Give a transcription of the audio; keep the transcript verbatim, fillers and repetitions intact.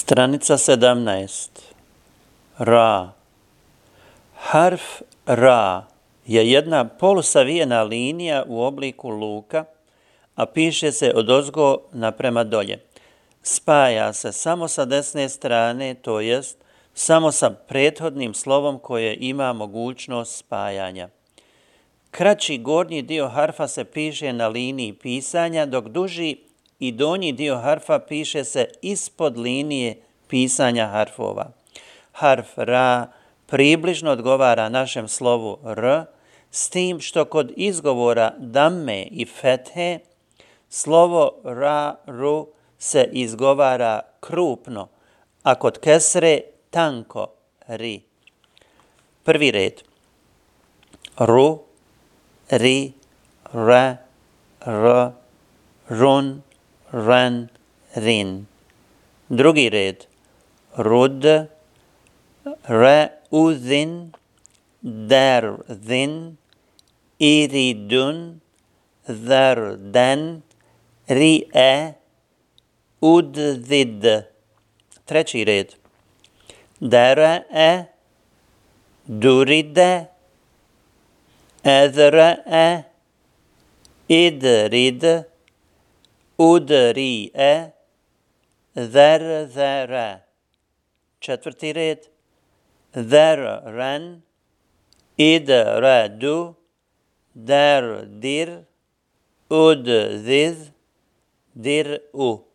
Stranica sedamnaest. Ra. Harf ra je jedna polusavijena linija u obliku luka, a piše se odozgo naprema dolje. Spaja se samo sa desne strane, to jest samo sa prethodnim slovom koje ima mogućnost spajanja. Kraći gornji dio harfa se piše na liniji pisanja, dok duži i donji dio harfa piše se ispod linije pisanja harfova. Harf ra približno odgovara našem slovu r, s tim što kod izgovora damme i fethe slovo ra, ru se izgovara krupno, a kod kesre tanko, ri. Prvi red. Ru, ri, re, r, run, ren, rin. Drugi red. Rud, re, udin, der, din, iridun, der, den, ri, e, ud, vid. Treći red. Dere, e, duride, edre, e, idrid, udri, e, der, zere. Četvrti red. Der, ren, id, re, du, der, dir, ud, ziz, dir, u.